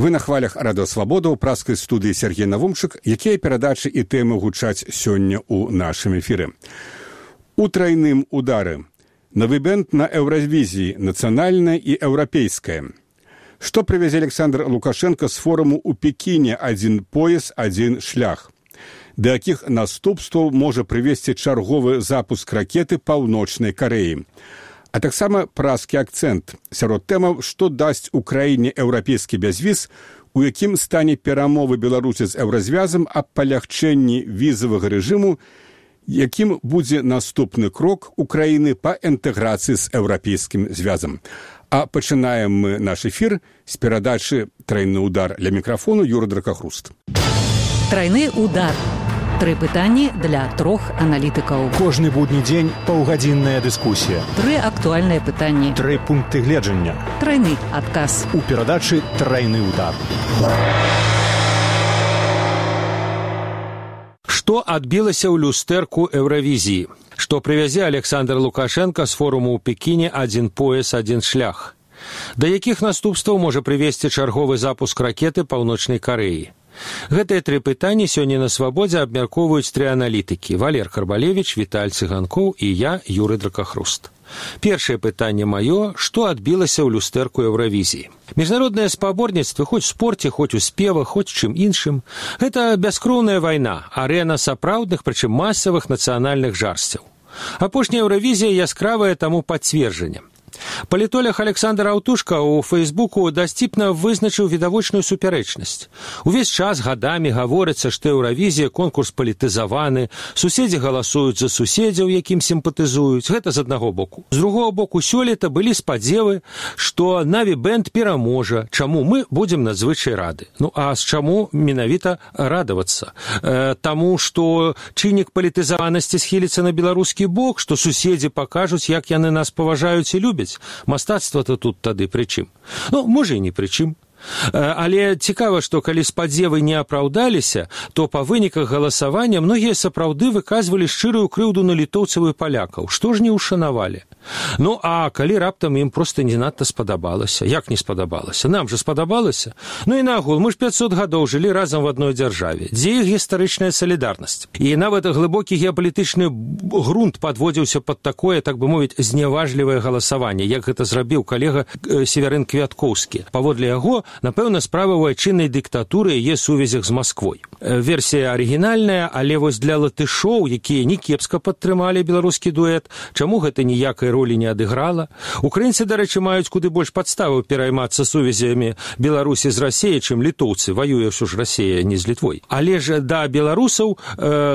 Вы на хвалях Радыё Свабода ў праскай студыі Сергей Навумчык, якія перадачы і тэмы гучаць сёння ў нашым эфіры. У трайным удары. Новы бэнд на Еўравізіі, нацыянальнае і еўрапейскае. Што прывязе Александр Лукашенко з форуму ў Пекіне «Адзін пояс, адзін шлях». Да якіх наступстваў можа прывесці чарговы запуск ракеты Паўночнай Карэі. А таксама празкі акцэнт сярод тэмаў, што дасць Украіне еўрапейскі бязвіз, у якім стане перамовы Беларусі з еўразвязам аб палягчэнні візавага рэжыму, якім будзе наступны крок Украіны па інтэграцыі з еўрапейскім звязам. А пачынаем мы наш эфір з перадачы «Трайны удар». Ля мікрафону Юра Дракахруст. Трайны удар. 3 пытанні для 3 аналітыкаў. Кожны будні дзень паўгадзінная дыскусія. 3 актуальныя пытанні. 3 пункты гледжання. Трайны адказ. У перадачы «Трайны удар». Што адбілася ў люстэрку Еўравізіі? Што прывязе Александр Лукашенко з форуму ў Пекіне «Адзін пояс, адзін шлях». Да якіх наступстваў можа прывесці чарговы запуск ракеты Паўночнай Карэі? Гэтыя 3 пытанні сёння на Свабодзе абмяркоўваюць 3 аналітыкі: Валер Карбалевіч, Віталь Цыганкоў і я, Юры Дракахруст. Першае пытанне маё: што адбілася ў люстэрку Еўравізіі? Міжнароднае спаборніцтва, хоць у спорце, хоць у спевах, хоць чым іншым, гэта бяскроўная вайна, арэна сапраўдных, прычым масавых нацыянальных жарсцяў. Апошняя Еўравізія яскравая таму пацверджанне. Палітолог Александр Аўтушка ў Фейсбуку дасціпна вызначыў відавочную супярэчнасць. Увесь час гадамі гаворыцца, што Еўравізія конкурс палітызаваны, суседзі галасуюць за суседзяў, якім сімпатызуюць. Гэта з аднаго боку. З другого боку, сёлета былі спадзевы, што Наві бэнд пераможа, чаму мы будзем надзвычай рады. Ну а з чаму менавіта радавацца? Таму, што чыннік палітызаванасці схіліцца на беларускі бок, што суседзі пакажуць, як яны нас паважаюць і любяць. Мастацтва-то тут тады пры чым? Ну, можа, і не пры чым. Але цікава, што калі спадзевы не апраўдаліся, то па выніках галасавання многія сапраўды выказвалі шчырую крыўду на літоўцаў і палякаў. Што ж не ўшанавалі? Ну, а калі раптам ім проста не надта спадабалася? Як не спадабалася? Нам жа спадабалася. Ну і нагул, мы ж 500 гадоў жылі разам в адной дзяржаве. Дзе іх гістарычная салідарнасць? І нават глыбокі геапалітычны грунт падводзіўся пад такое, так бы мовіць, зняважлівае галасаванне, як гэта зрабіў калега Северын Квяткоўскі. Паводле яго, напэўна, справа ў айчыннай дыктатуры яе сувязях з Масквой. Версія арыгінальная, але вось для латышоў, якія не кепска падтрымалі беларускі дуэт, чаму гэта ніякай ролі не адыграла? Украінцы, дарэчы, маюць куды больш падставаў пераймацца сувязямі Беларусі з Расіяй, чым літоўцы. Ваюе ўсё ж Расія не з Літвой. Але ж да беларусаў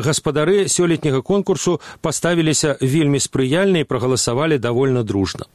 гаспадары сёлетняга конкурсу паставіліся вельмі спрыяльна і прагаласавалі давольна дружна.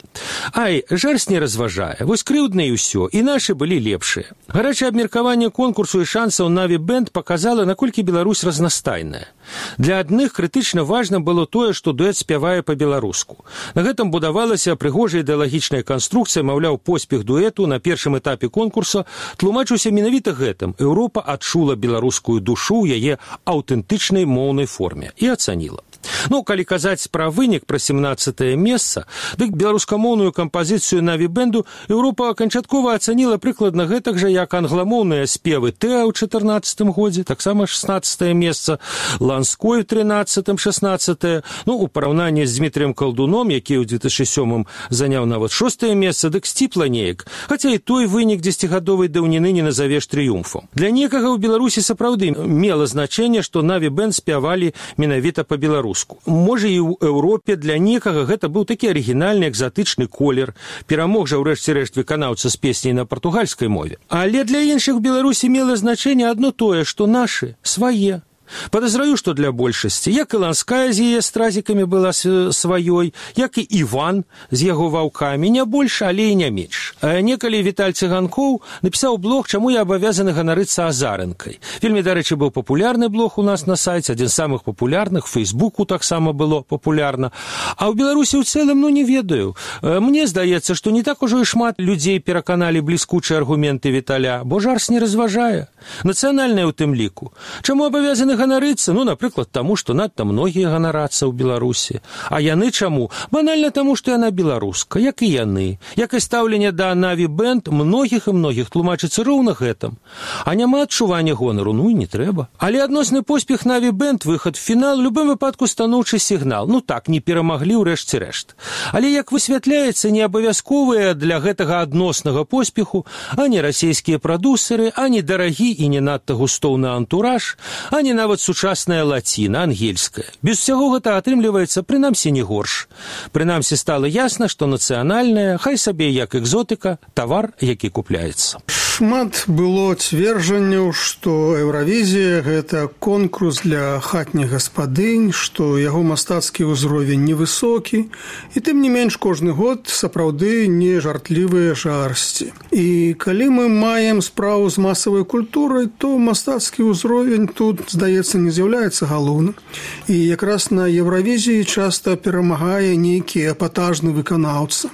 Ай, жарс не разважае. Вось крыўдна і ўсё. І нашы былі лепшыя. Гарачае абмеркаванне конкурсу і шансаў Наві бэнд паказала, наколькі Беларусь разнастайная. Для адных крытычна важна было тое, што дуэт спявае па-беларуску. На гэтым будавалася прыгожая ідэалагічная канструкцыя, маўляў, поспех дуэту на першым этапе конкурса тлумачыўся менавіта гэтым. Еўропа адчула беларускую душу ў яе аўтэнтычнай моўнай форме і ацаніла. Ну, калі казаць пра вынік, пра 17-е месца, дык беларускамоўную кампазіцыю Наві бэнду Еўропа канчаткова ацаніла прыкладна гэтак жа, як англамоўныя спевы Тэа ў 14-м годзе, таксама 16-е месца, Ланской у 13-м, 16-е, ну, у параўнанні з Дмітрыем Калдуном, які ў 2007-м заняў нават 6-е месца, дык сціпла неяк, хаця і той вынік 10-гадовай даўніны не назавеш трыумфам. Для некага ў Беларусі сапраўды мела значэнне, што Наві бэнд спявалі менавіта па-беларуску. Можа, і ў Еўропе для некага гэта быў такі арыгінальны экзатычны колер. Перамог жа ўрэшце рэшт выканаўца з песняй на партугальскай мове. Але для іншых у Беларусі мела значэнне адно тое, што нашы, свае. Падазраю, што для большасці, як і Ланская з яе стразікамі была сваёй, як і Іван з яго ваўкамі, не больш, але і не менш. Некалі Віталь Цыганкоў напісаў блог «Чаму я абавязаны ганарыцца азарынкай». Вельмі, дарэчы, быў папулярны блог у нас на сайце, адзін з самых папулярных, Фейсбуку таксама было папулярна. А ў Беларусі ў цэлым, ну, не ведаю. Мне здаецца, што не так ужо і шмат людзей пераканалі бліскучыя аргументы Віталя, бо жарс не разважае. Нацыянальнае ў тым ліку. Чаму абавязаны павінны ганарыцца, напрыклад, таму, што надта многія ганарацца ў Беларусі. А яны чаму? Банальна таму, што яна беларуска, як і яны. Як і стаўленне да Наві Бэнд многіх і многіх тлумачыцца роўна гэтым. А няма адчування гонару, і не трэба. Але адносны поспех Наві Бэнд, выхад в фінал, у любым выпадку станоўчы сігнал. Так, не перамаглі ў рэшце рэшт. Але, як высвятляецца, не абавязковыя для гэтага адноснага поспеху ані расійскія прадусеры, ані дарагі і не надта густоўны антураж, ані нават сучасная лаціна, ангельская. Без усяго гэта атрымліваецца, прынамсі, не горш. Прынамсі, стала ясна, што нацыянальная, хай сабе як экзотыка, тавар, які купляецца. Шмат было цверджанняў, што Еўравізія – гэта конкурс для хатніх гаспадынь, што яго мастацкі ўзровень невысокі, і тым не менш кожны год сапраўды не жартлівыя жарсці. І калі мы маем справу з масавай культурай, то мастацкі ўзровень тут, здаецца, не з'яўляецца галоўным. І якраз на Еўравізіі часта перамагае нейкі эпатажны выканаўца.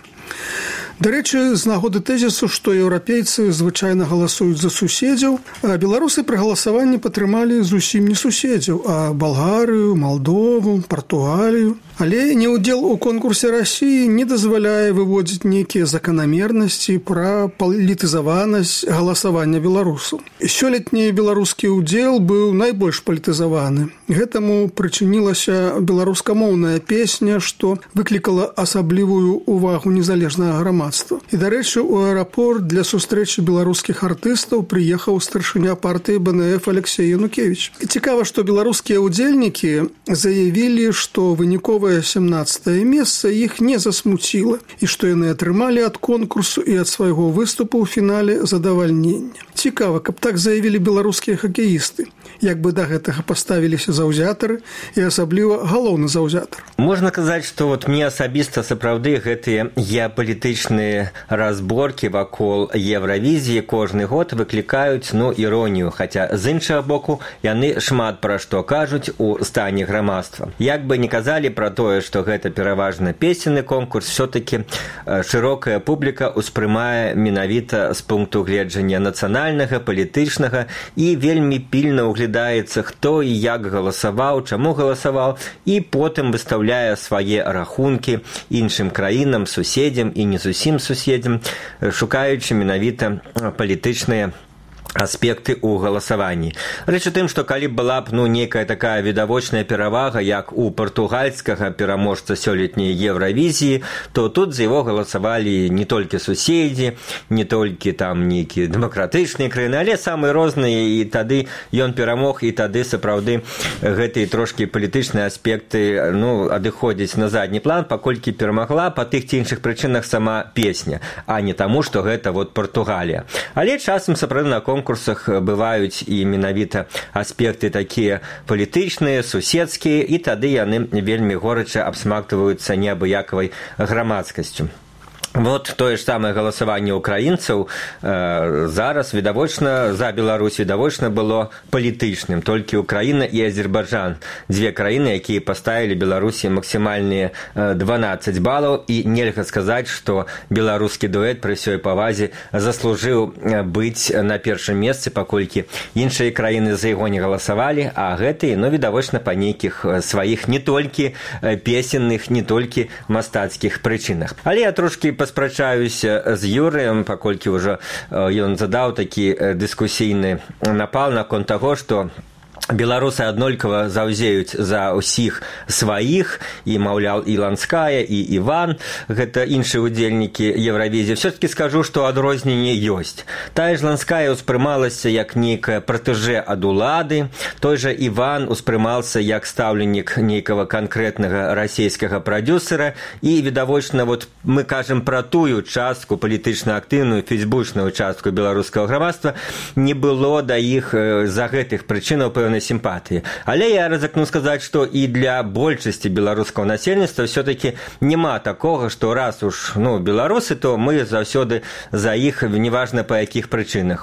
Дарэчы, з нагоды тэзісу, што еўрапейцы звычайна галасуюць за суседзяў, а беларусы пры галасаванні падтрымалі зусім не суседзяў, а Балгарыю, Малдову, Партугалію. Але неўдзел у конкурсе Расіі не дазваляе выводзіць нейкія заканамернасці пра палітызаванасць галасавання беларусаў. Сёлетні беларускі ўдзел быў найбольш палітызаваны. Гэтаму прычынілася беларускамоўная песня, што выклікала асаблівую ўвагу незалежнага грамадства. І, дарэчы, у аэрапорт для сустрэчы беларускіх артыстаў прыехаў старшыня партыі БНФ Алексей Янукевич. І цікава, што беларускія ўдзельнікі заявілі, што выніковая 17-е месца іх не засмуціла і што яны атрымалі ад конкурсу і ад свайго выступу ў фінале задавальнення. Цікава, каб так заявілі беларускія хакеісты, як бы да гэтага паставіліся заўзятары і асабліва галоўны заўзятар. Можна казаць, што мне асабіста сапраўды гэтыя геапалітычныя разборкі вакол Еўравізіі кожны год выклікаюць іронію, хаця з іншага боку яны шмат пра што кажуць у стане грамадства. Як бы не казалі пра тое, што гэта пераважна песенны конкурс, все-таки шырокая публіка ўспрымае менавіта з пункту гледжання нацыянальнага, палітычнага і вельмі пільна углядаецца, хто і як галасаваў, чаму галасаваў, і потым выстаўляе свае рахункі іншым краінам, суседзям і не зусім суседзям, шукаючы менавіта палітычныя аспекты ў галасаванні. Рэч у тым, што калі была б нейкая такая відавочная перавага, як у партугальскага пераможца сёлетняй Еўравізіі, то тут за яго галасавалі не толькі суседзі, не толькі там нейкія дэмакратычныя краіны, але самыя розныя, і тады ён перамог, і тады сапраўды гэтыя трошкі палітычныя аспекты адыходзяць на задні план, паколькі перамагла па тых ці іншых прычынах сама песня, а не таму, што гэта Партугалія. Але часам сапраўды на конкурсах бываюць і менавіта аспекты такія палітычныя, суседскія, і тады яны вельмі горача абсмактваюцца неабыякавай грамадскасцю. Вот тое ж самае галасаванне украінцаў зараз відавочна за Беларусь відавочна было палітычным. Толькі Украіна і Азербайджан, дзве краіны, якія паставілі Беларусі максімальныя 12 балаў, і нельга сказаць, што беларускі дуэт пры ўсёй павазе заслужыў быць на першым месцы, паколькі іншыя краіны за яго не галасавалі, а гэтыя, відавочна, па нейкіх сваіх не толькі песенных, не толькі мастацкіх прычынах. Але я трошкі паспрачаюся з Юрыем, паколькі ўжо ён задаў такі дыскусійны напал наконт таго, што беларусы аднолькава заўзеюць за ўсіх сваіх, і, маўляў, і Ланская, і Іван, гэта іншыя ўдзельнікі Еўравізіі. Все-таки скажу, што адрозненне ёсць. Тая ж Ланская ўспрымалася як нейкая пратэжэ ад улады, той жа Іван успрымался як стаўленнік нейкага канкрэтнага расійскага прадюсера, і, відавочна, мы кажам пра тую частку палітычна актыўную, фейсбучную частку беларускага грамадства, не было да іх за гэтых прычынаў пэўнай сімпатыі. Але я рызыкну сказаць, што і для большасці беларускага насельніцтва все-таки няма такога, што раз уж беларусы, то мы заўсёды за іх, неважна па якіх прычынах.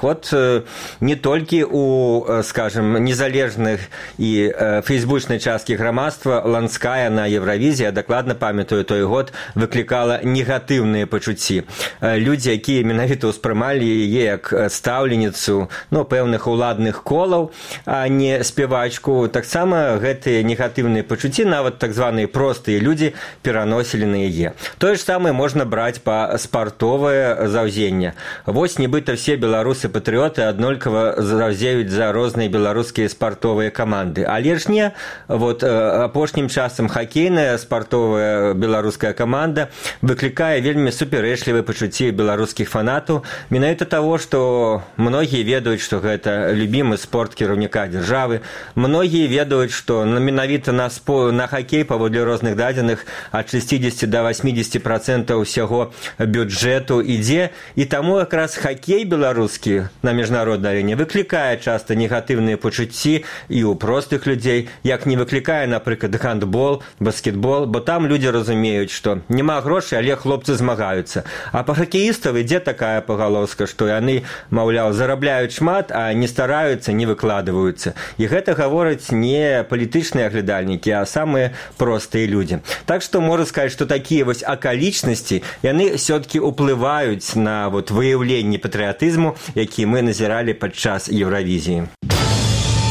Не толькі у, скажем, незалежных і фейсбучнай часткі грамадства Ланская на Еўравізіі, дакладна памятаю той год, выклікала негатыўныя пачуцці. Людзі, якія менавіта ўспрымалі яе як стаўленіцу пэўных уладных колаў, а не спявачку, таксама гэтыя негатыўныя пачуцці, нават так званыя простыя людзі пераносілі на яе. Тое ж самае можна браць па спартовае заўзенне. Вось нібыта все беларусы-патрыёты аднолькава заўзеюць за розныя беларускія спартовыя каманды. Але ж не, вот апошнім часам хакейная спартовая беларуская каманда выклікае вельмі супярэчлівыя пачуцці беларускіх фанатаў, менавіта таго, што многія ведаюць, што гэта любімы спорт кіраўніка дзяржавы, многія ведаюць, што менавіта на хакей паводле розных дадзеных ад 60 до 80% ўсяго бюджэту ідзе, і таму якраз хакей беларускі на міжнароднай арэне выклікае часта негатыўныя пачуцці і ў простых людзей, як не выклікае, напрыклад, гандбол, баскетбол, бо там людзі разумеюць, што няма грошай, але хлопцы змагаюцца. А па хакеістаў ідзе такая пагалоска, што яны, маўляў, зарабляюць шмат, а не стараюцца, не выкладваюцца. І гэта гавораць не палітычныя аглядальнікі, а самыя простыя людзі. Так што можна сказаць, што такія вось акалічнасці, яны ўсё-такі ўплываюць на вот выяўленне патрыятызму, які мы назіралі падчас Еўравізіі.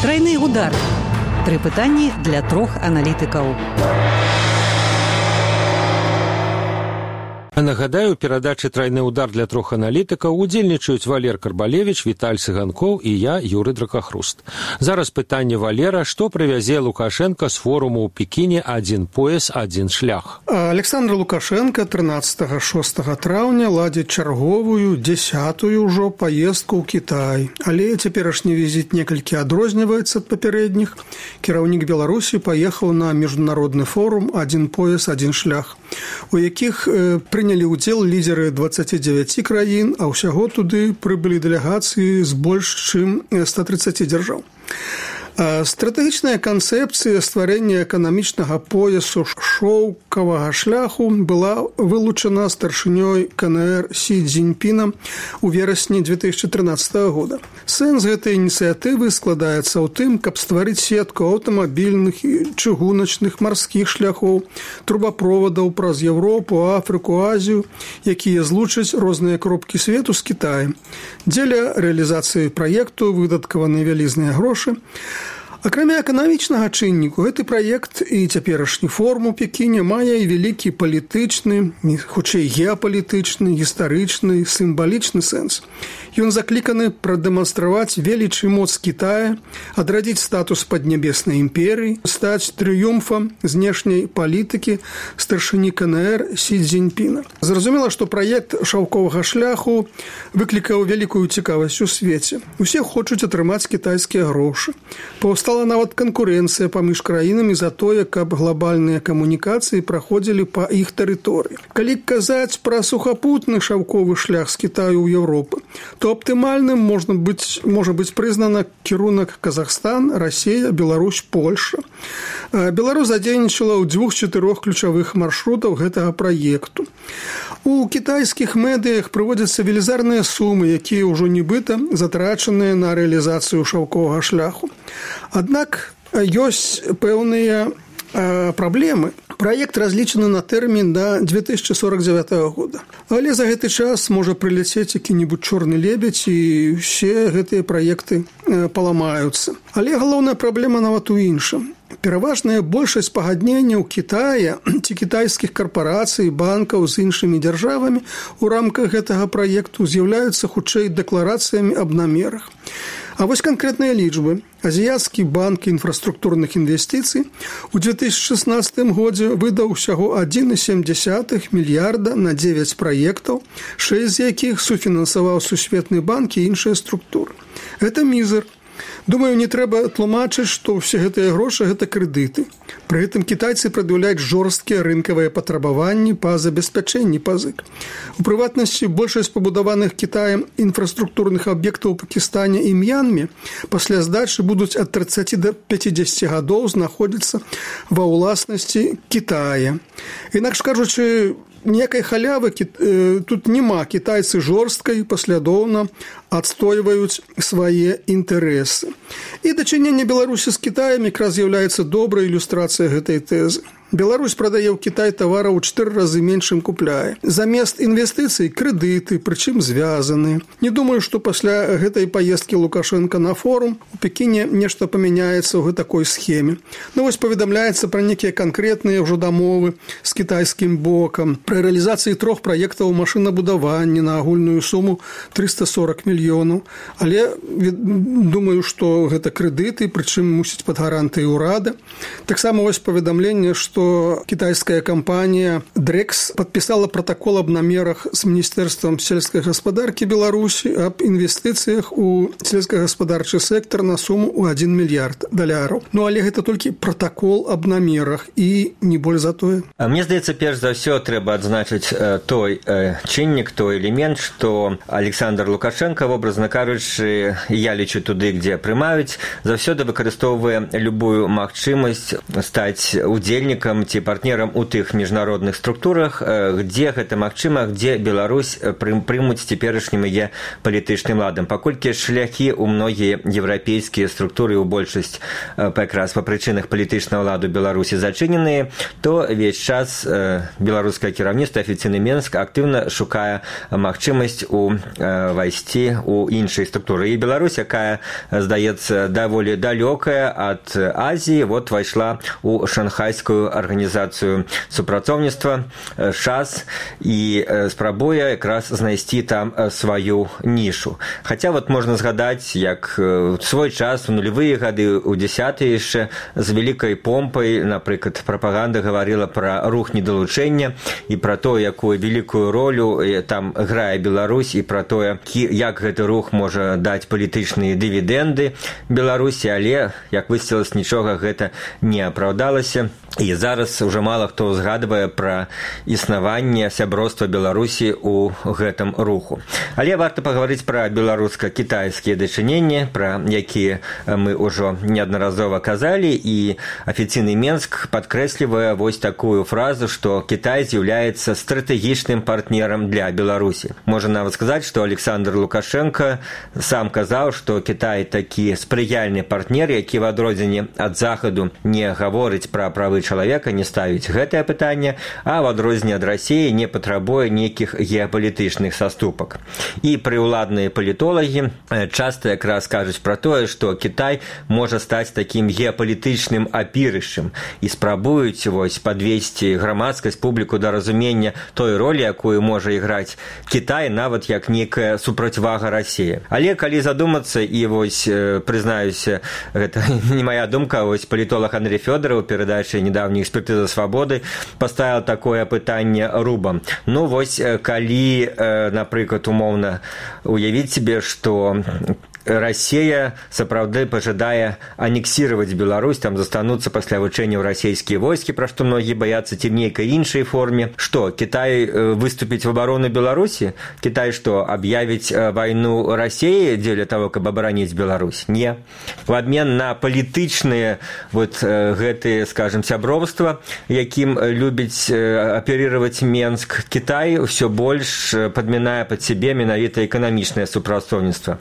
Трайны удар. 3 пытанні для 3 аналітыкаў. Нагадаю, у перадачы «Трайны удар» для 3 аналітыкаў удзельнічаюць Валер Карбалевіч, Віталь Цыганкоў і я, Юры Дракахруст. Зараз пытанне Валера, што прывязе Лукашенко з форуму ў Пекіне «Адзін пояс, адзін шлях». Александр Лукашенко 13-6 траўня ладзіць чарговую, 10-ю ўжо паездку ў Кітай. Але цяперашні візіт некалькі адрозніваецца ад папярэдніх. Кіраўнік Беларусі паехаў на міжнародны форум «Адзін пояс, адзін шлях», у якіх прынялі ўдзел лідеры 29 краін, а ўсяго туды прыбылі дэлегацыі з больш чым 130 дзяржаў. Стратэгічная канцэпцыя стварэння эканамічнага поясу шоўкавага шляху была вылучана старшынёй КНР Сі Цзіньпінам у верасні 2013 года. Сэнс гэтай ініцыятывы складаецца ў тым, каб стварыць сетку аўтамабільных і чыгуначных марскіх шляхоў, трубаправодаў праз Еўропу, Афрыку, Азію, якія злучаць розныя кропкі свету з Кітаем. Дзеля рэалізацыі праекту выдаткаваны вялізныя грошы. Акрамя эканамічнага чынніку, гэты праект і цяперашні форум у Пекіне мае і вялікі палітычны, хутчэй геапалітычны, гістарычны, сімвалічны сэнс. Ён закліканы прадэманстраваць веліч і моц Кітая, адрадзіць статус паднябеснай імперыі, стаць трыумфам знешняй палітыкі старшыні КНР Сі Цзіньпіна. Зразумела, што праект шаўковага шляху выклікаў вялікую цікавасць у свеце. Усе хочуць атрымаць кітайскія грошы. Паўстала нават канкурэнцыя паміж краінамі за тое, каб глобальныя камунікацыі праходзілі па іх тэрыторыі. Калі казаць пра сухапутны шаўковы шлях з Кітаю ў Еўропу, то аптымальным можа быць прызнана кірунак Казахстан, Расія, Беларусь, Польша. Беларусь задзейнічала ў 2-4 ключавых маршрутаў гэтага праекту. У кітайскіх медыях прыводзяцца велізарныя сумы, якія ўжо нібыта затрачаныя на рэалізацыю шаўковага шляху. Аднак ёсць пэўныя праблемы. Праект разлічаны на тэрмін да 2049 года. Але за гэты час можа прыляцець які-небудзь чорны лебедзь і ўсе гэтыя праекты паламаюцца. Але галоўная праблема нават у іншым. Пераважная большасць пагадненняў Кітая ці кітайскіх карпарацый, банкаў з іншымі дзяржавамі у рамках гэтага праекту з'яўляюцца хутчэй дэкларацыямі аб намерах. А вось канкрэтныя лічбы. Азіяцкі банк інфраструктурных інвестыцый у 2016 годзе выдаў усяго 1,7 мільярда на 9 праектаў, 6 з якіх суфінансаваў Сусветны банк і іншыя структуры. Гэта мізер. Думаю, не трэба тлумачыць, што ўсе гэтыя грошы – гэта крэдыты. Пры гэтым кітайцы прад'яўляюць жорсткія рынкавыя патрабаванні па забеспячэнні пазык. У прыватнасці, большасць пабудаваных Кітаем інфраструктурных аб'ектаў у Пакістане і М'янме пасля здачы будуць ад 30 до 50 гадоў знаходзіцца ва ўласнасці Кітая. Інакш кажучы, ніякай халявы тут няма. Кітайцы жорстка і паслядоўна адстойваюць свае інтарэсы. І дачыненне Беларусі з Кітаем якраз з'яўляецца добрай ілюстрацыяй гэтай тэзы. Беларусь прадае ў Кітай тавараў у 4 разы менш, чым купляе. Замест інвестыцый крэдыты, прычым звязаны. Не думаю, што пасля гэтай паездкі Лукашенко на форум у Пекіне нешта памяняецца ў такой схеме. Ну вось паведамляецца пра нейкія канкрэтныя ўжо дамовы з кітайскім бокам, пра рэалізацыі 3 праектаў машынабудавання на агульную суму 340 мільёнаў. Але думаю, што гэта крэдыты, прычым мусіць пад гарантыяй урада. Таксама вось паведамленне, што кітайская кампанія Дрэкс падпісала пратакол аб намерах з Міністэрствам сельскай гаспадаркі Беларусі аб інвестыцыях у сельскагаспадарчы сектор на суму ў 1 мільярд даляраў. Ну, але гэта толькі пратакол аб намерах і не боль за тое. Мне здаецца, перш за ўсё трэба адзначыць той чыннік, той элемент, што Александр Лукашенко, образна кажучы, я лічу туды, дзе прымаюць, заўсёды выкарыстоўвае любую магчымасць стаць удзельнікам ці партнерам у тых міжнародных структурах, дзе гэта магчыма, дзе Беларусь прымуць цяперашнім яе палітычным ладам. Паколькі шляхі ў многія еўрапейскія структуры, у большасць якраз па прычынах палітычнага ладу Беларусі зачыненыя, то увесь час беларускае кіраўніцтва, афіцыйны Менск актыўна шукае магчымасць увайсці ў іншыя структуры. І Беларусь, якая, здаецца, даволі далёкая ад Азіі, вот вайшла ў шанхайскую арганізацыю супрацоўніцтва ШАС і спрабуе якраз знайсці там сваю нішу. Хаця вот можна згадаць, як свой час у нулевыя гады, у 10-е яшчэ з вялікай помпай, напрыклад, прапаганда гаварыла пра рух недалучэння і пра то, якую вялікую ролю там грае Беларусь, і пра тое, як гэты рух можа даць палітычныя дывідэнды Беларусі, але, як высветлілася, нічога гэта не апраўдалася. І зараз уже мала хто згадвае пра існаванне сяброўства Беларусі ў гэтым руху. Але варта пагаварыць пра беларуска-кітайскія дачыненні, пра якія мы ўжо неаднаразова казалі, і афіцыйны Менск падкрэслівае вось такую фразу, што Кітай з'яўляецца стратэгічным партнерам для Беларусі. Можна нават сказаць, што Александр Лукашенко сам казаў, што Кітай такі спрыяльны партнер, які в адрозненне ад Захаду не гаворыць пра правы чалавека, не ставіць гэтае пытанне, а в адрозненне ад Расіі не патрабуе нейкіх геапалітычных саступак. І прыўладныя палітолагі часта якраз кажуць пра тое, што Кітай можа стаць такім геапалітычным апірышчам і спрабуюць вось падвесці грамадскасць, публіку да разумення той ролі, якую можа іграць Кітай, нават як некая супрацьвага Расіі. Але калі задумацца, і вось прызнаюся, гэта не моя думка, вось палітолог Андрей Фёдоров у перадачы «Недавняя экспертиза свободы» поставил такое пытанне рубам. Ну, вось, калі, напрыклад, умоўна уявіць себе, што Россия сапраўды пожадае аннексировать Беларусь, там застануцца пасля вучэнняў расійскія войскі, пра што многія баяцца, ці в нейкай іншай форме. Што, Кітай выступіць в абарону Беларусі? Кітай што, аб'явіць вайну Расіі дзеля того, каб абараніць Беларусь? Не. В абмен на палітычныя вот гэтыя, скажем, сяброўства, якім любіць аперировать Менск, Кітай ўсё больш падмінае пад сябе менавіта эканамічнае супрацоўніцтва.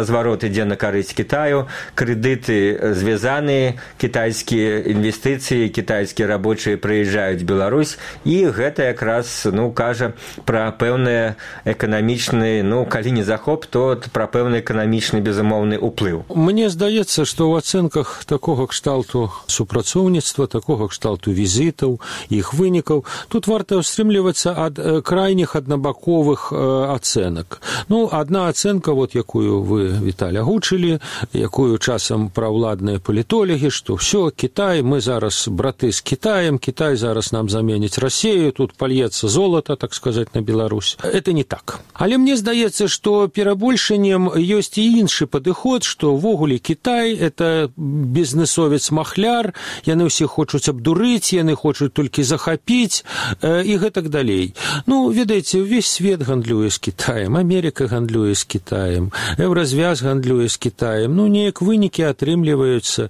Разварот ідзе на карысць Кітаю, крэдыты звязаныя, кітайскія інвестыцыі, кітайскія рабочыя прыязджаюць в Беларусь, і гэта якраз, ну, кажа пра пэўны эканамічны, ну, калі не захоп, то пра пэўны эканамічны безумоўны ўплыў. Мне здаецца, што ў ацэнках такога кшталту супрацоўніцтва, такога кшталту візітаў, іх вынікаў, тут варта ўстрымлівацца ад крайніх аднабаковых ацэнак. Ну, адна ацэнка, вот якую вы, Віталь, агучылі, якую часам праўладныя палітолагі, што ўсё, Кітай, мы зараз браты з Кітаем, Кітай зараз нам заменіць Расію, тут пальецца золата, так сказаць, на Беларусь. Это не так. Але мне здаецца, што перабольшаннем ёсць і іншы падыход, што ввогуле Кітай – это бізнесовец-махляр, яны ўсе хочуць абдурыць, яны хочуць толькі захапіць і гэтак далей. Ну, ведаеце, увесь свет гандлюе з Кітаем, Америка гандлюе з Кітаем, Еўразвяз Альянс гандлюе з Кітаем. Ну, неяк вынікі атрымліваюцца.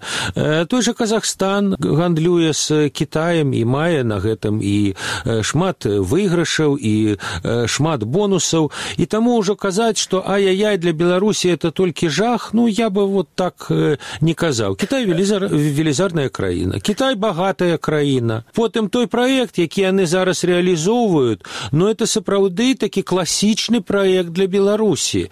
Той жа Казахстан гандлюе з Кітаем і мае на гэтым і шмат выйгрышаў, і шмат бонусаў. І таму ўжо казаць, што ай-яй-яй, для Беларусі это толькі жах, ну, я бы вот так не казаў. Кітай велізарная краіна. Кітай багатая краіна. Потым той праект, які яны зараз реалізоўваюць, ну, это сапраўды такі класічны праект для Беларусі,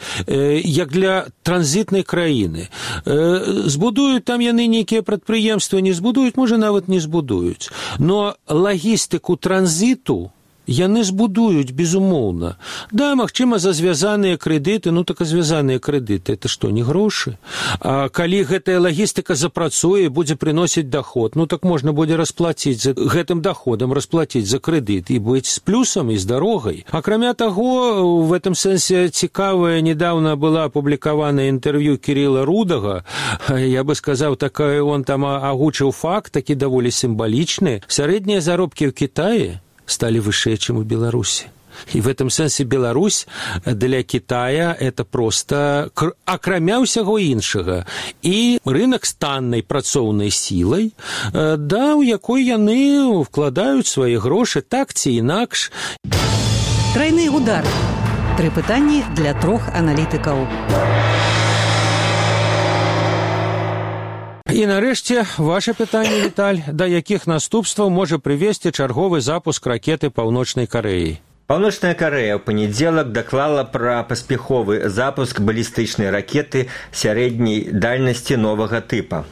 як для транзітнай краіны. Збудуюць там яны нейкія прадпрыемствы, не збудуюць, можа, нават не збудуюць. Но лагістыку транзіту яны збудуюць, безумоўна. Да, магчыма, за звязаныя крэдыты, ну так а звязаныя крэдыты, это што, не грошы? А калі гэтая лагістыка запрацуе, будзе прыносіць доход, ну так можна будзе расплаціць за гэтым доходам, расплаціць за крэдыт і быць з плюсам і з дарогай. Акрамя таго, в этом сэнсе цікавая недавно была апублікавана інтэрв'ю Кірилла Рудага, я бы сказаў, такое он там агучыў факт, такі даволі сімвалічны. Сярэднія заробкі ў Кітаі стали выше, чем у Беларуси. И в этом сенсе Беларусь для Китая это просто акрамя ўсяго іншага. І рынок з таннай працоўнай сілай, да, у якой яны вкладаюць свае грошы так ці інакш. Трайны удар. 3 пытанні для 3 аналітыкаў. І нарэшце, ваше пытанне, Віталь, да якіх наступстваў можа прывесці чарговы запуск ракеты Паўночнай Карэі? Паўночная Карэя ў панядзелак даклала пра паспяховы запуск балістычнай ракеты сярэдняй дальнасці новага тыпа.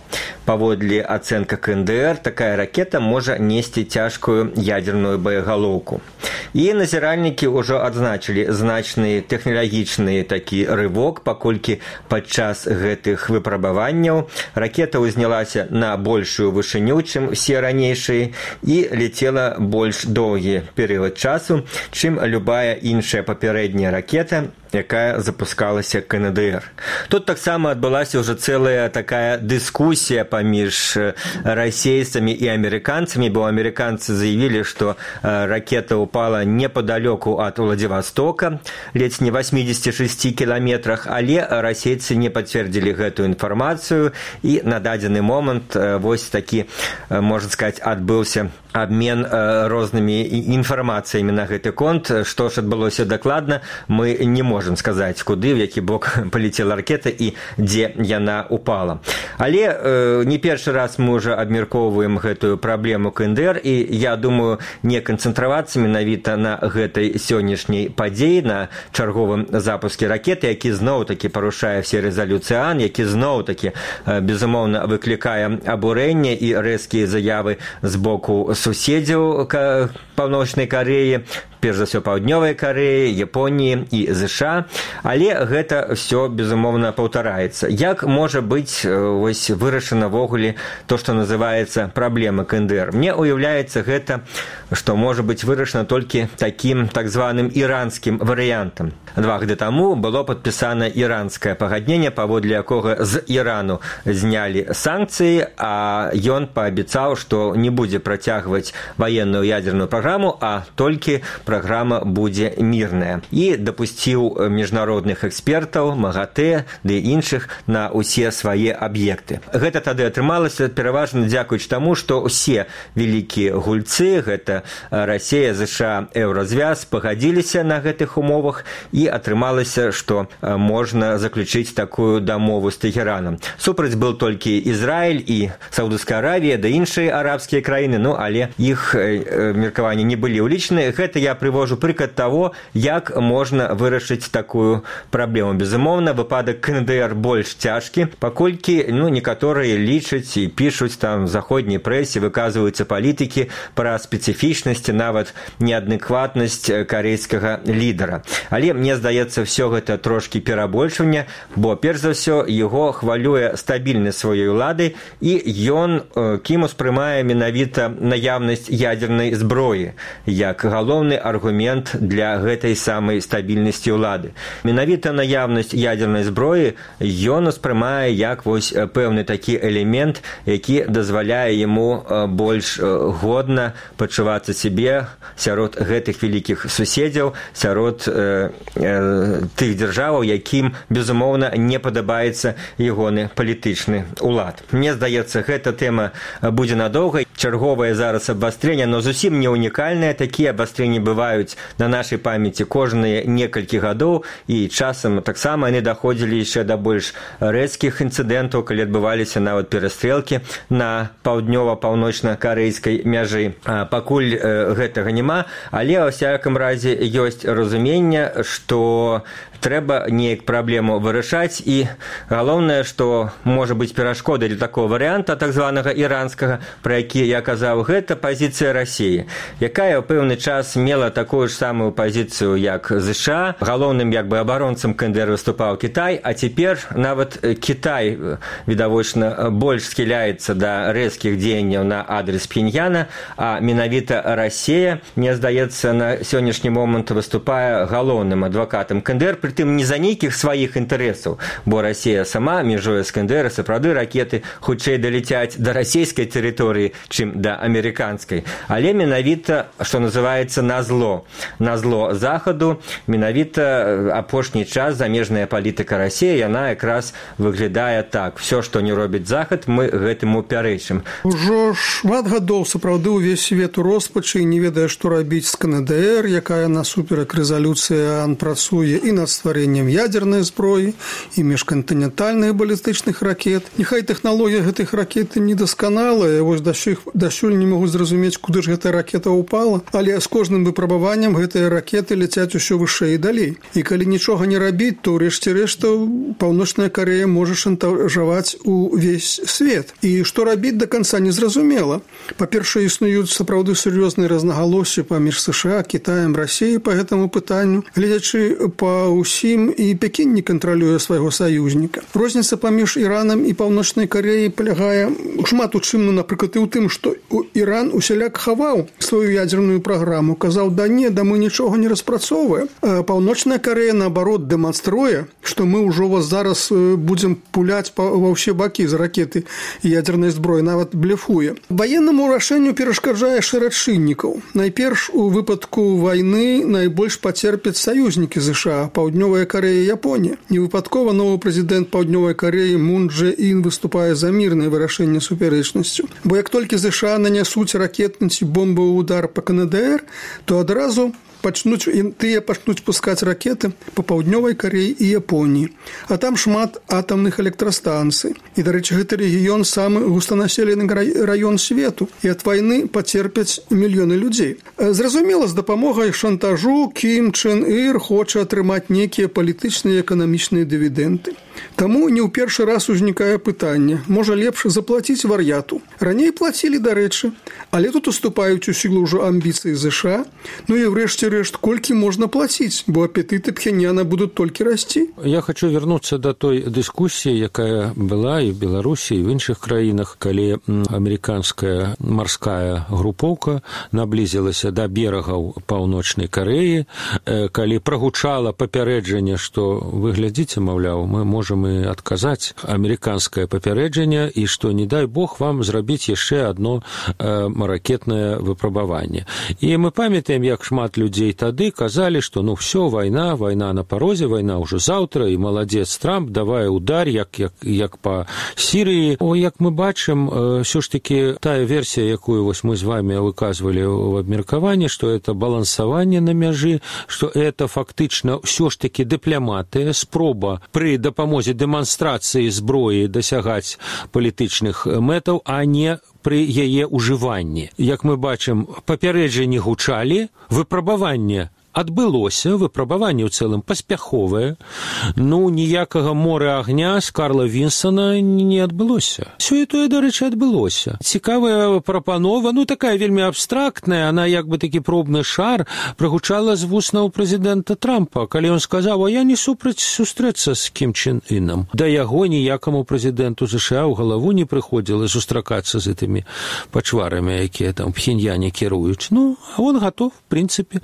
Паводле ацэнка КНДР, такая ракета можа несці цяжкую ядерную боегалоўку. І назіральнікі ўжо адзначылі значны тэхналагічны такі рывок, паколькі падчас гэтых выпрабаванняў ракета ўзнялася на большую вышыню, чым усе ранейшыя, і лецела больш доўгі перыяд часу, чым любая іншая папярэдняя ракета, якая запускалася КНДР. Тут таксама адбылася ўжо цэлая такая дыскусія паміж расейцамі і амерыканцамі, бо амерыканцы заявілі, што ракета упала непадалёку ад Владивостока, ледзь не 86 кіламетрах, але расейцы не пацвердзілі гэтую інфармацыю, і на дадзены момант вось такі, можна сказаць, адбыўся абмен рознымі інфармацыямі на гэты конт. Што ж адбылося дакладна, мы не можам сказаць, куды, в які бок палецела ракета і дзе яна упала. Але не першы раз мы ўжо абмяркоўваем гэтую праблему КНДР, і я думаю, не канцэнтравацца менавіта на гэтай сённяшняй падзеі, на чарговым запуске ракеты, які зноў-такі парушае все рэзалюцыі ООН, які зноў-такі, безумоўна, выклікае абурэнне і рэзкія заявы з боку суседзяў Паўночнай Карэі, перш за ўсё Паўднёвай Карэі, Японіі і ЗША, але гэта ўсё, безумоўна, паўтараецца. Як можа быць вось вырашана ввогуле то, што называецца праблема КНДР? Мне уяўляецца гэта, што можа быць вырашана толькі такім так званым іранскім варыянтам. 2 гады таму было падпісана іранскае пагадненне, паводле якога з Ірану знялі санкцыі, а ён паабяцаў, што не будзе працягваць ваенную ядерную праграму, а толькі праграма будзе мірная. І дапусціў міжнародных экспертаў, МАГАТЭ ды іншых на ўсе свае аб'екты. Гэта тады атрымалася пераважна дзякуючы таму, што ўсе вялікія гульцы, гэта Расія, ЗША, Еўразвяз, пагадзіліся на гэтых умовах, і атрымалася, што можна заключыць такую дамову з Тэхеранам. Супраць был толькі Ізраіль і Саудаўская Аравія, да іншыя арабскія краіны, ну, але іх меркаванні не былі ўлічаны. Гэта я прывожу прыклад таго, як можна вырашыць такую праблему. Безумоўна, выпадак КНДР больш цяжкі, паколькі, ну, некаторыя лічаць і пішуць там в заходняй прэсе, выказваюцца палітыкі пра спецыфічнасць, нават неадекватнасць карэйскага лідара. Але мне здаецца, ўсё гэта трошкі перабольшванне, бо перш за ўсё яго хвалюе стабільнасць сваёй улады, і ён кім успрымае менавіта наяўнасць ядернай зброі як галоўны аргумент для гэтай самай стабільнасці ўлады. Менавіта наяўнасць ядзернай зброі ён успрымае як вось пэўны такі элемент, які дазваляе яму больш годна пачувацца сябе сярод гэтых вялікіх суседзяў, сярод тых дзяржаваў, якім, безумоўна, не падабаецца ягоны палітычны ўлад. Мне здаецца, гэта тэма будзе надоўга. Чарговае зараз абвастрэнне, но зусім не унікальнае. Такія абвастрэнні бываюць на нашай памяці кожныя некалькі гадоў, і часам таксама яны даходзілі яшчэ да больш рэзкіх інцыдэнтаў, калі адбываліся нават перастрэлкі на паўднёва-паўночна-карэйскай мяжы. Пакуль гэтага няма, але ва всякім разе ёсць разуменне, што трэба неяк праблему вырашаць, і галоўнае, што можа быць перашкодай для такого варыянта, так званага іранскага, пра які я казаў, гэта пазіцыя Расіі, якая ў пэўны час мела такую ж самую пазіцыю, як ЗША. Галоўным абаронцам КНДР выступаў Кітай, а цяпер нават Кітай, відавочна, больш схіляецца да рэзкіх дзеянняў на адрес Пхеньяна, а менавіта Расія, мне здаецца, на сённяшні момант выступае галоўным адвакатам КНДР, прытым не за нейкіх сваіх інтарэсаў, бо Расія сама межуе з КНДР, сапраўды ракеты хутчэй даляцяць да расійскай тэрыторыі, чым да амерыканскай. Але менавіта, што называецца, назло Захаду, менавіта апошні час замежная палітыка Расіі, яна якраз выглядае так. Всё, што не робіць Захад, мы гэтаму пярэчым. Ужо шмат гадоў сапраўды ўвесь свет у роспачы і не ведае, што рабіць з КНДР, якая насуперак рэзалюцыі ООН працуе і над стварэннем ядзернай зброі і міжкантынентальных балістычных ракет. Няхай тэхналогія гэтых ракет недасканалая, вось дасюль не могуць зразумець, куды ж гэтая ракета ўпала, але з кожным выпрабаваннем гэтыя ракеты ляцяць усё вышэй і далей. І калі нічога не рабіць, то ўрэшце рэшта Паўночная Карэя можа шантажаваць увесь свет. І што рабіць да канца незразумела. Па-першае, існуюць сапраўды сур'ёзныя рознагалоссі паміж США, Кітаем, Расіяй па гэтаму пытанню. Гледзячы па ўсім, і Пекін не кантралюе свайго саюзніка. Розніца паміж Іранам і Паўночнай Карэяй палягае шмат у чым, напрыклад, і ў тым, што Іран усяляк хаваў сваю ядзерную праграму, казаў, да мы нічога не распрацоўваем. Паўночная Карэя, наоборот, дэманструе, што мы ўжо вас зараз будзем пуляць ва ўсе бакі з ракеты ядзернай зброі, нават блефуе. Ваеннаму рашэнню перашкаджае шэраг чыннікаў. Найперш, у выпадку вайны найбольш пацерпяць саюзнікі ЗША, Паўднёвая Карэя, Японія. Невыпадкова новы прэзідэнт Паўднёвай Карэі Мун Дже Ін выступае за мірнае вырашэнне супярэчнасцю. Бо як толькі ЗША нанясуць ракетны ці бомбавы удар па КНДР, то адразу пачнуць пускаць ракеты па Паўднёвай Карэі і Японіі. А там шмат атамных электрастанцый. І, дарэчы, гэты рэгіён самы густанаселены раён свету, і ад вайны пацерпяць мільёны людзей. Зразумела, з дапамогай шантажу Кім Чен Ір хоча атрымаць нейкія палітычныя і эканамічныя дывідэнды. Таму не ў першы раз узнікае пытанне, можа лепш заплаціць вар'яту. Раней плацілі, дарэчы, але тут уступаюць у сілу ўжо амбіцыі ЗША, ну і врэшце рэшт, колькі можна плаціць, бо апетыты Пхеньяна будуць толькі расці. Я хочу вернуцца да той дыскусіі, якая была і в Беларусі, і в іншых краінах, калі амерыканская марская групоўка наблізілася да берагаў Паўночнай Карэі, калі прагучала папярэджанне, што вы глядзіце, маўляў, мы можам і адказаць амерыканскае папярэджанне, і што, не дай Бог, вам зрабіць яшчэ адно ракетнае выпрабаванне. І мы памятаем, як шмат людзей тады казалі, што все, вайна на парозе, вайна ўжо заўтра, і маладзец Трамп, давай удар, як па Сірыі. Як мы бачым, ўсё ж такі тая версія, якую вось мы з вами выказвалі ў абмеркаванні, што это балансаванне на мяжы, што это фактычна ўсё ж такі дыпламатыя, спроба пры дапамозе дэманстрацыі зброі дасягаць палітычных мэтаў, а не пры яе ўжыванні. Як мы бачым, папярэджанні гучалі, выпрабаванне адбылося, выпрабаванне ў цэлым паспяховае, ніякага мора агня з Карла Вінстона не адбылося. Сёе-тое, дарэчы, адбылося. Цікавая прапанова, такая вельмі абстрактная, она як бы такі пробны шар прагучала з вуснаў прэзідэнта Трампа, калі ён сказаў, я не супраць сустрэцца з Кім Чен Ынам. Да яго ніякаму прэзідэнту США ў галаву не прыходзіла сустракацца з гэтымі пачварамі, якія там Пхеньяне кіруюць. А он готов, в принципе.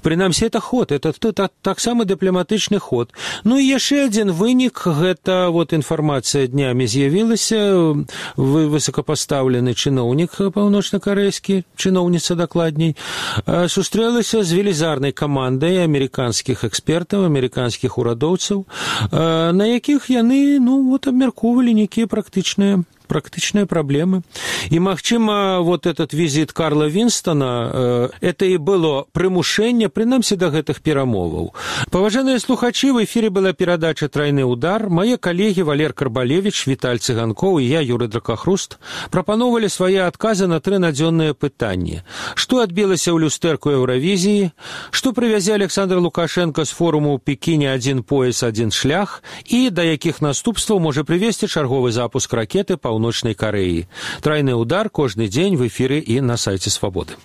Прынамсі, это ход, это таксама дыпламатычны ход. І яшчэ адзін вынік, гэта інфармацыя днямі з'явілася, высокапастаўлены чыноўнік паўночна-карэйскі, чыноўніца дакладней, сустрэлася з велізарнай камандай амерыканскіх экспертаў, амерыканскіх урадоўцаў, на якіх яны, абмяркоўвалі нейкія практычныя праблемы. І, магчыма, этот візіт Карла Вінстона, это і было прымушэнне, прынамсі, да гэтых перамоваў. Паважаныя слухачы, в эфіры была перадача «Трайны удар». Мае калегі Валер Карбалевіч, Віталь Цыганкоў і я, Юрый Дракахруст, прапаноўвалі свае адказы на 3 надзённыя пытанні. Што адбілася ў люстэрку Еўравізіі? Што прывязе Александр Лукашенко з форуму ў Пекіне «Адзін пояс, адзін шлях» і да якіх наступстваў можа прывесці чарговы запуск ракеты Паўночнай Карэі. «Трайны удар» кожны дзень в эфіры і на сайце Свабоды.